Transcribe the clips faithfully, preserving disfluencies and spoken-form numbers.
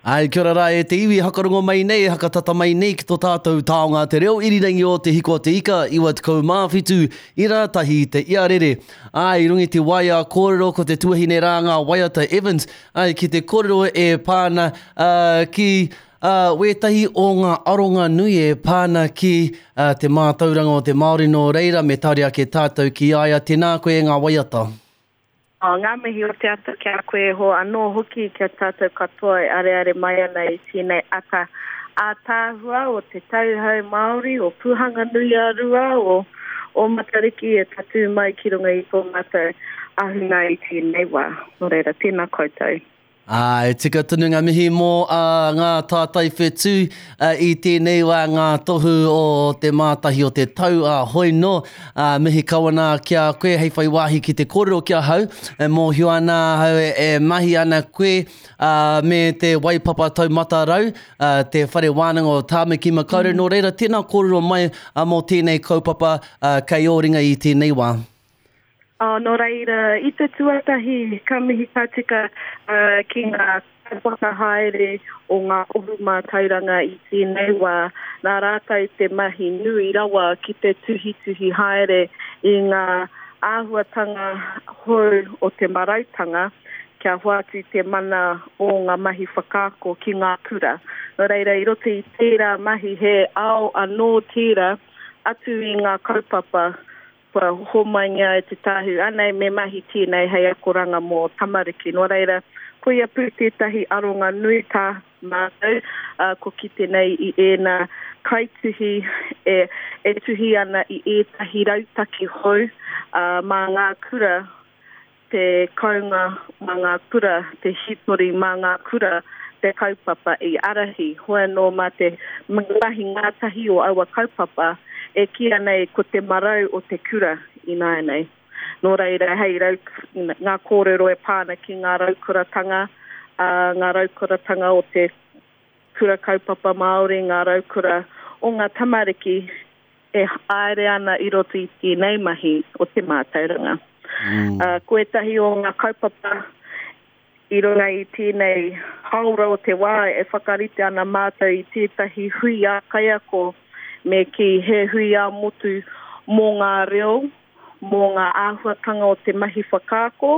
Ai, kia ora rā e te iwi, hakarongo mai nei, hakatata mai nei ki tō tātou taonga te reo irirangi o Te Hiko o Te Ika, iwa tekau mā whitu, i rā tahi te iarere. Ai, i runga i te waea kōrero ko te tuahine rā ngā waiata Evans, ai, ki te kōrero e pā ana uh, ki uh, wētahi o ngā aronga nui e pā ana ki uh, te mātauranga o te Māori nō reira me tari ake tātou ki a ia. Tēnā koe e ngā waiata. Oh, ngā mihi o te ata ki a koe e hoa anō hoki kia tātou katoa e areare mai ana i tēnei ata ātaahua o te tauhou Māori, o Pūhanganui-a-Rua, o, o Matariki e tatū mai ki runga i tō mātou ahunga i tēnei wā. Nō reira, tēnā koutou. Ā, e tika tonu ngā mihi mō uh, ngā tātai whetū uh, i tēnei wā ngā tohu o te mātahi o te tau a uh, hoi no. Uh, mihi kawana ki a koe hei whai wāhi ki te kōrero ki ahau. E mōhio ana ahau e, e mahi ana koe uh, me te Waipapa Taumata Rau, uh, te whare wānanga o Tāmaki Makaurau. Mm. Nō reira, tēnā kōrero mai uh, mō tēnei kaupapa uh, kei ō ringa i tēnei wā. Oh, nō reira, i te tuatahi, ka mihi ka tika uh, ki ngā whakahaere o ngā ohu mātauranga i tēnei wā. Nā rātou te mahi nui rawa ki te tuhituhi haere i ngā āhuatanga hou o te marautanga kia hoatu te mana o ngā mahi whakaako ki ngā kura. Nō reira, i roto i tērā mahi he ao anō tērā atu i ngā kaupapa kua homaingia e te tāhu, anei me mahi tēnei hei akoranga mō tamariki. Nō reira, koia pū tētahi aronga nui tā mātou, uh, ko kite nei i ēnā kaituhi e, e tuhi ana i ētahi rautaki hou uh, mā ngā kura, te kounga mā ngā kura, te hītori mā ngā kura, te kaupapa i arahi. Hoi anō mā te mahi ngātahi o aua kaupapa, e kīia nei ko te marau o te kura ināianei. Nō reira, hei rau, ngā kōrero e pā ana ki ngā raukuratanga, uh, ngā raukuratanga o te kura kaupapa Māori, ngā raukura o ngā tamariki e haere ana i roto i tēnei mahi o te mātauranga. Mm. Uh, ko ētahi o ngā kaupapa i runga i tēnei haora o te wā e whakarite ana mātou i tētahi hui ā-kaiako me kī he hui ā-motu mō ngā reo, mō ngā āhuatanga o te mahi whakaako,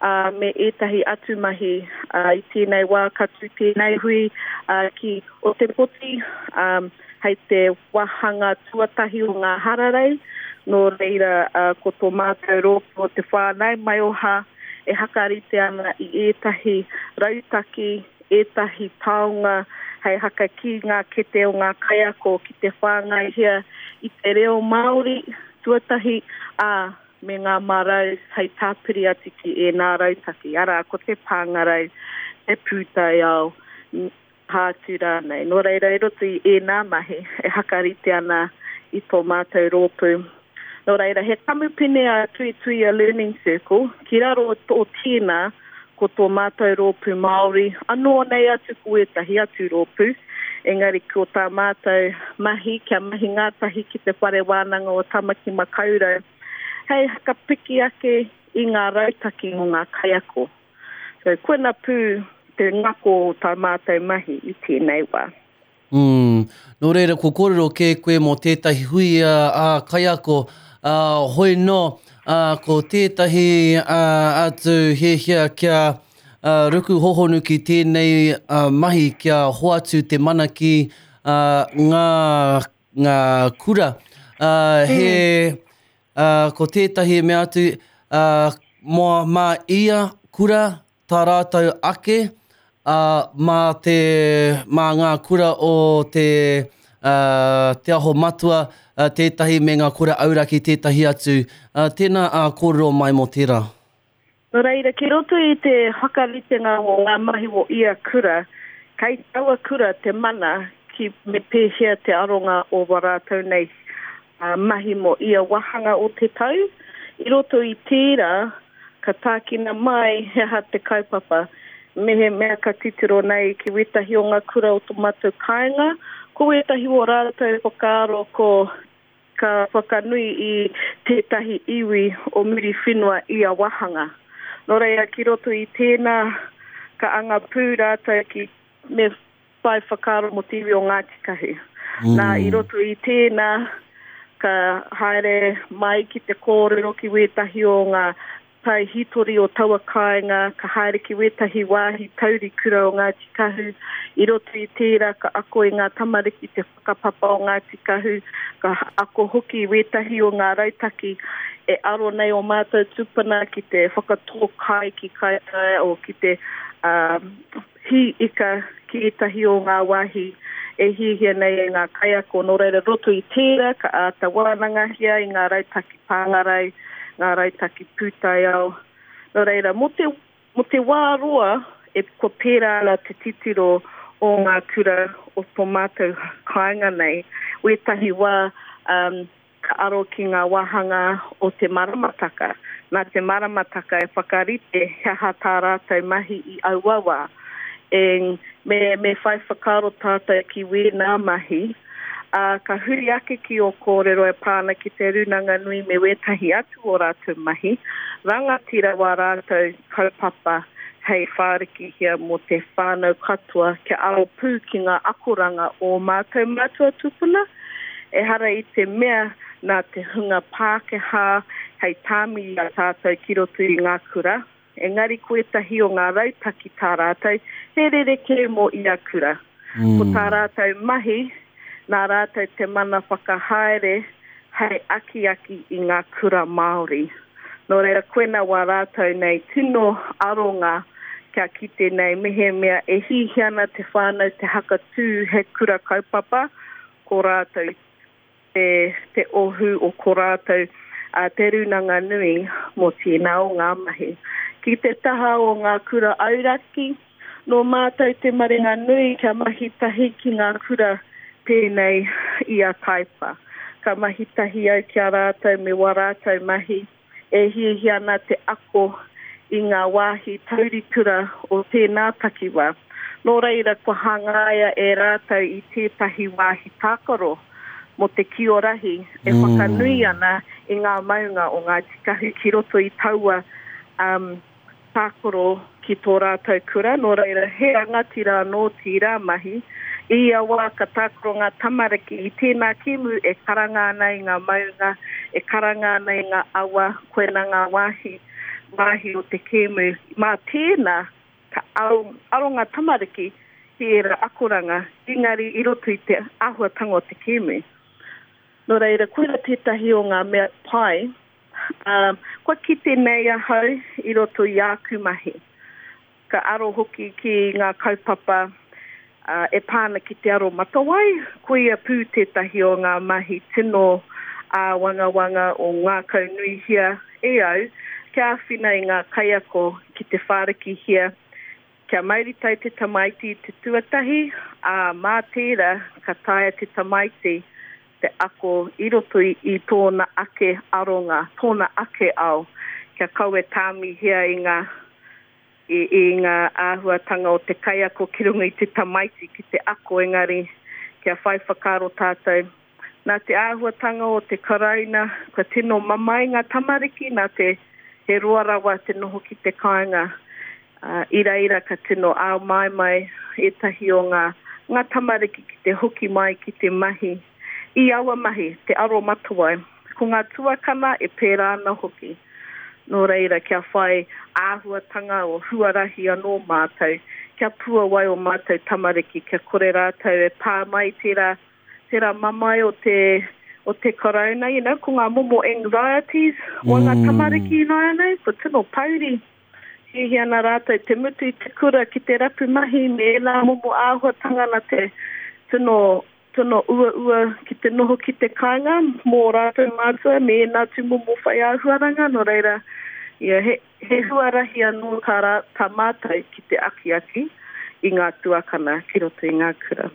uh, me ētahi atu mahi. Uh, i tēnei wā ka tū tēnei hui uh, ki Ōtepoti, um, hei te wāhanga tuatahi o ngā hararei. Nō reira, uh, ko tō mātou rōpū o te whānau maioha e hakarite ana i ētahi rautaki, ētahi taonga hei hakakī ngā kete o ngā kaiako ki te whāngaihia i te reo Māori tuatahi, ā, me ngā marau hei tāpiri atu ki ēnā rautaki, arā, ko te pāngarau, te pūtaiao, aha atu rānei. Nō reira, i roto i ēnā mahi e hakarite ana i tō mātou rōpū. Nō reira, he kamupene a Tuituia Learning Circle, ki raro o tēnā, ko tō mātou rōpū Māori, anō nei atu ko ētahi atu rōpū, engari ko tā mātou mahi, kia mahi ngātahi ki te whare wānanga o Tamaki Makaurau, hei hakapiki ake i ngā rautaki mō ngā kaiako. So, koina pū te ngako o tā mātou mahi i tēnei wā. Mm. Nō reira, ko kōrero kē koe mō tētahi hui uh, ā kaiako, uh, hoi no, uh, ko tētahi uh, atu hiahia kia uh, ruku hohonu ki tēnei uh, mahi, kia hoatu te mana ki uh, ngā, ngā kura. Uh, he, uh, ko tētahi mea atu, uh, mō mā ia kura tā rātou ake, uh, mā, te, mā ngā kura o te, uh, te Aho Matua uh, tētahi me ngā kura auraki tētahi atu. Uh, tēnā uh, kōrero mai mō tērā. Nō reira, ki roto i te whakaritenga o ngā mahi o ia kura, kei taua kura te mana ki me pēhea te aronga o wā rātou nei uh, mahi mō ia wāhanga o te tau. I roto i tērā, ka tākina mai he aha te kaupapa. Mehemea ka titiro nei ki wētahi o ngā kura o tō mātou kāinga, ko wētahi o rātou whakaaro ko ka whakanui i tētahi iwi o Muriwhenua i a wāhanga. Nō reira, ki roto i tēnā, ka anga pū rātou ki me whai whakaaro mō te iwi o Ngāti Kahu. Mm. Nā, i roto i tēnā, ka haere mai ki te kōrero ki wētahi o ngā tai hitori o taua kāinga, ka haere ki wētahi wāhi tauri kura o Ngāti Kahu. I roto i tērā, ka ako i ngā tamariki te whakapapa o Ngāti Kahu, ka ako hoki i wētahi o ngā rautaki e aro nei o mātou tūpuna ki te whakatō kai ki Kaitaia o ki te um, hī ika ki ētahi o ngā wāhi e hihia nei e ngā kaiako. Nō reira roto i tērā, ka āta wānangahia i ngā rautaki pāngarau, ngā rautaki pūtaiao. Nō reira, mō te, mō te wā roa, e kua pērā ana te titiro o ngā kura o tō mātou kāinga nei. Wētahi wā um, ka aro ki ngā wāhanga o te maramataka. Nā te maramataka e whakarite he aha tā rātou mahi i aua wā. E, me, me whai whakaaro tātou ki wēnā mahi. Uh, ka huri ake ki o kōrero e pāna ki te Rūnanga Nui me wētahi atu o rātou mahi. Rangatira wā rātou kaupapa hei whārikihia mō te whānau katoa kia aro pū ki ngā akoranga o mātou mātua tūpuna. Ehara i te mea nā te hunga Pākehā hei tāmi i a tātou ki roto i ngā kura. Engari ko ētahi o ngā rautaki tā rātou, he rerekē mō ia kura. Mm. Ko tā rātou mahi, nā rātou te mana whakahaere hei akiaki i ngā kura Māori. Nō reira, koena wā rātou nei tino aronga kia kite nei mehemea e hihia ana te whānau te hakatū he kura kaupapa, ko rātou te, te ohu o ko rātou uh, te Rūnanga Nui mō tēnā o ngā mahi. Ki te taha o ngā kura auraki, nō mātou te maringa nui kia mahi tahi ki ngā kura pēnei i a Taipa. Ka mahi tahi au ki a rātou me wā rātou mahi e hihia ana te ako i ngā wāhi taurikura o tēnā takiwā. Nō reira kua hangaia e rātou i tētahi wāhi tākaro mō te kiorahi e mm. whakanui ana i ngā maunga o Ngāti Kahu ki roto i taua um, tākaro ki tō rātou kura. Nō reira, he rangatira anō tērā mahi. I ia wā ka tākaro ngā tamariki i tēnā kēmu e karanga ana i ngā maunga, e karanga ana i ngā awa, koena ngā wāhi, wāhi o te kēmu. Mā tēnā, ka aro, aro ngā tamariki ki ērā akoranga, engari i roto i te āhuatanga o te kēmu. Nō reira, koira tētahi o ngā mea pai, um, kua kite nei ahau i roto i āku mahi. Ka aro hoki ki ngā kaupapa uh, e pāna ki te aro matawai, koia pū tētahi o ngā mahi tino āwangawanga o ngākau nuihia e au, kia āwhina i ngā kaiako ki te whārikihia, kia mauritau te tamaiti te tuatahi, ā, mā tērā ka taea te tamaiti te ako i roto i, i tōna ake aronga, tōna ake ao, kia kaua tāmihia i ngā, i, i ngā āhuatanga o te kaiako ki runga i te tamaiti ki te ako, engari kia whai whakaaro tātou. Nā te āhuatanga o te karauna, kua tino mamae ngā tamariki, nā te he roa rawa te noho ki te kāinga. Uh, i reira ka tino āmaimai ētahi o ngā, ngā tamariki ki te hoki mai ki te mahi. I aua mahi, te aro matawai, ko ngā tuakana e pērā ana hoki. Nō reira, kia whai āhuatanga o huarahi anō mātou, kia puawai o mātou tamariki, kia kore rātou e pā mai tērā, tērā mamae o te, o te karauna, you know, ko ngā momo anxieties o ngā tamariki ināianei, ko tino pauri. Hihi ana rātou te mutu i te kura ki te rapu mahi me ērā momo āhuatanga na te tino tino uaua ki te noho ki te kāinga mō rātou mātua me ēnā tūmomo whai āhuaranga. Nō reira, ia, he, he huarahi anō tā, rā, tā mātou ki te akiaki i ngā tuakana ki roto i ngā kura.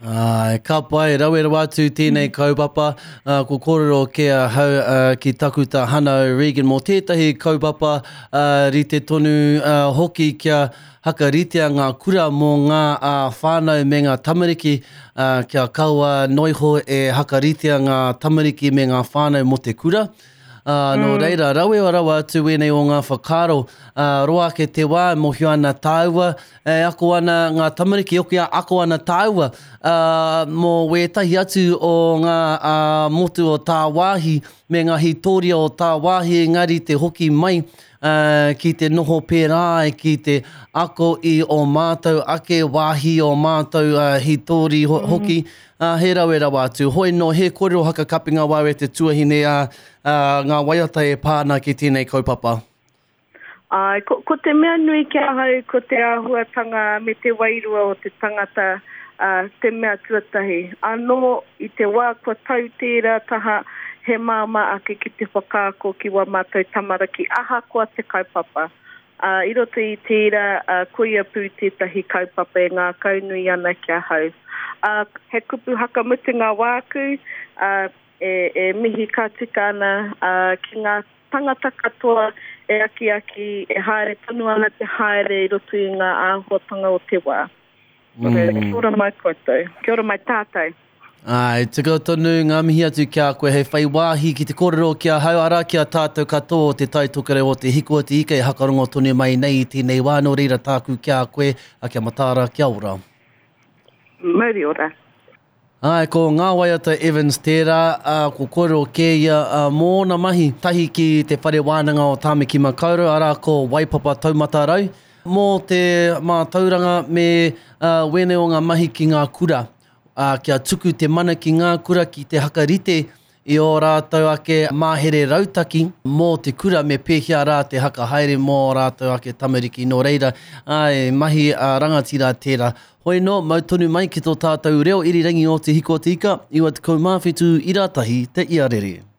Ai, ka pai, rawe rawa atu tēnei kaupapa. Uh, ko kōrero ke ahau uh, ki takuta Hana Regan mō tētahi kaupapa uh, rite tonu uh, hoki kia hakaritea ngā kura mō ngā uh, whānau me ngā tamariki, uh, kia kaua noiho e hakaritea ngā tamariki me ngā whānau mō te kura. Uh, nō mm. reira, rawe o rawa atu wēnei o ngā whakaaro, uh, roa ake te wā, mōhio ana tāua, e ako ana ngā tamariki, oki a ako ana tāua, uh, mō wētahi atu o ngā uh, motu o tāwāhi, me ngā hītoria o tāwāhi, engari te hoki mai, uh, ki te noho pērā, ki te ako i o mātou ake wāhi o mātou uh, hītori ho mm. hoki, uh, he rawe rawa atu. Hoi no, he kōrero haka kapinga wāwe te tuahine a uh, uh, ngā waiata e pāna ki tēnei kaupapa. Ai, ko, ko te mea nui ki ahau, ko te āhuatanga me te wairua o te tangata, uh, te mea tuatahi. Anō, i te wā kua tau tērā taha, he māmā ake ki te whakaako ki wā mātou tamariki, ahakoa te kaupapa. Uh, i roto i tērā, uh, koia pū tētahi kaupapa e ngākaunui ana ki ahau. Uh, he kupu hakamutunga wāku, uh, e, e mihi ka tika ana uh, ki ngā tangata katoa e akiaki, e haere tonu ana te haere i roto i ngā āhuatanga o te wā. Mm. Kia ora mai koutou, kia ora mai tātou. Ai, tika tonu ngā mihi atu ki a koe hei whai wāhi ki te kōrero ki ahau, arā ki a tātou katoa o te Tai Tokerau o te Hiko o te Ika e hakarongo tonu mai nei i tēnei wā, nō reira tāku ki a koe, a kia mataara, kia ora. Mauri ora. Ai, ko ngā waiata Evans tērā, uh, ko kōrero kē ia uh, mōna mahi tahi ki te whare wānanga o Tāmaki Makaurau, arā ko Waipapa Taumata Rau, mō te mātauranga me uh, wēnei o ngā mahi ki ngā kura. Uh, kia tuku te mana ki ngā kura ki te hakarite i o rātou ake mahere rautaki mō te kura me pēhea rā te hakahaere mō rātou ake tamariki. Nō reira, ai, mahi a rangatira tērā. Hoi no, mau tonu mai ki tō tātou reo irirangi o te Hiko o te Ika, iwa tekau mā whitu ira tahi te iarere.